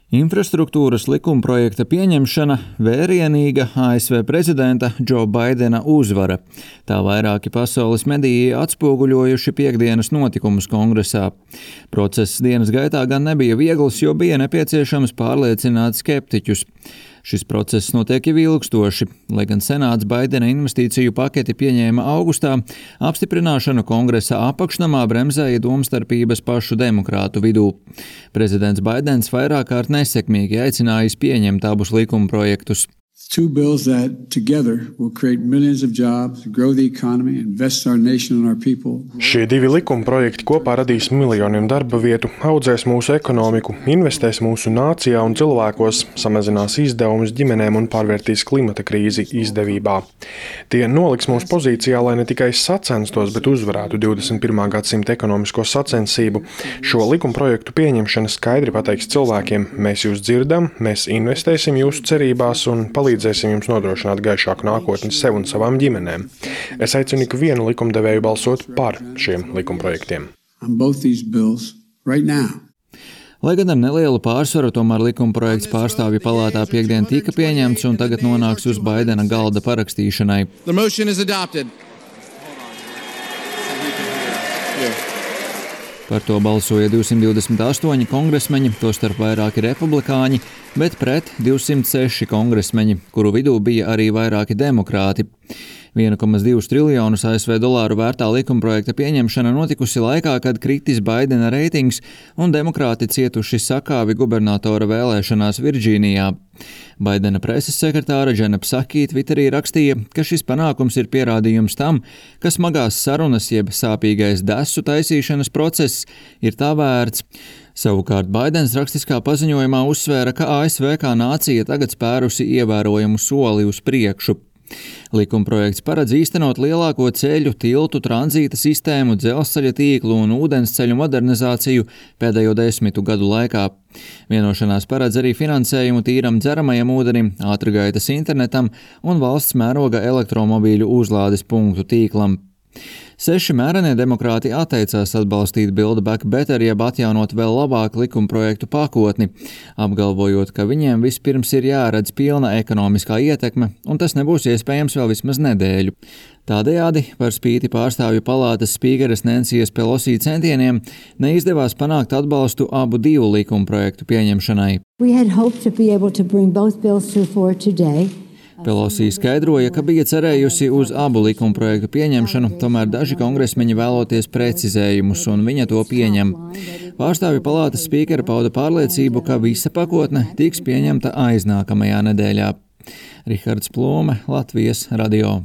Infrastruktūras likumprojekta pieņemšana vērienīga ASV prezidenta Džo Baidena uzvara. Tā vairāki pasaules mediji atspoguļojuši piektdienas notikumus Kongresā. Process dienas gaitā gan nebija viegls, jo bija nepieciešams pārliecināt skeptiķus. Šis process notiek jau ilgstoši, lai gan Senāts Baidena investīciju paketi pieņēma augustā, apstiprināšanu Kongresa apakšnamā bremzēja domstarpības pašu demokrātu vidū. Prezidents Baidens vairāk kārt nesekmīgi aicinājis pieņemt abus likumprojektus. Two bills that together will create millions of jobs, grow the economy, invest our nation and our people. Šie divi likumprojekti kopā radīs miljoniem darba vietu, audzēs mūsu ekonomiku, investēs mūsu nācijā un cilvēkos, samazinās izdevumus ģimenēm un pārvērtīs klimata krīzi izdevībā. Tie noliks mūsu pozīcijā, lai ne tikai sacenstos, bet uzvarētu 21. gadsimta ekonomisko sacensību. Šo likumprojektu pieņemšana skaidri pateiks cilvēkiem: mēs jūs dzirdam, mēs investēsim jūsu cerībās un palīdzēsim jums nodrošināt gaišāku nākotni sev un savām ģimenēm. Es aicinu ikvienu likumdevēju balsot par šiem likumprojektiem. Lai gan ar nelielu pārsvaru, tomēr likumprojekts pārstāvju palātā piektdien tika pieņemts un tagad nonāks uz Baidena galda parakstīšanai. Par to balsoja 228 kongresmeņi, tostarp vairāki republikāņi, bet pret 206 kongresmeņi, kuru vidū bija arī vairāki demokrāti. 1,2 triljonus ASV dolāru vērtā likumprojekta pieņemšana notikusi laikā, kad kritis Baidena reitings un demokrāti cietuši sakāvi gubernatora vēlēšanās Virdžīnijā. Baidena preses sekretāra Džena Psaki Twitterī rakstīja, ka šis panākums ir pierādījums tam, ka smagās sarunas jeb sāpīgais desu taisīšanas process ir tā vērts. Savukārt Baidens rakstiskā paziņojumā uzsvēra, ka ASV kā nācija tagad spērusi ievērojamu soli uz priekšu. Likumprojekts paredz īstenot lielāko ceļu, tiltu, tranzīta sistēmu, dzelzceļa tīklu un ūdensceļu modernizāciju pēdējo 10 gadu laikā. Vienošanās paredz arī finansējumu tīram dzeramajam ūdenim, ātrgaitas internetam un valsts mēroga elektromobīļu uzlādes punktu tīklam. 6 mērenie demokrāti atteicās atbalstīt Build Back Better, jeb atjaunot vēl labāku likumprojektu pakotni, apgalvojot, ka viņiem vispirms ir jāredz pilna ekonomiskā ietekme, un tas nebūs iespējams vēl vismaz nedēļu. Tādējādi, par spīti pārstāvju palātas spīkeres Nensijas Pelosi centieniem, neizdevās panākt atbalstu abu divu likumprojektu pieņemšanai. Pelosi skaidroja, ka bija cerējusi uz abu likumprojektu pieņemšanu, tomēr daži kongresmeņi vēloties precizējumus, un viņa to pieņem. Pārstāvju palātas spīkere pauda pārliecību, ka visa pakotne tiks pieņemta aiznākamajā nedēļā. Rihards Plūme, Latvijas radio.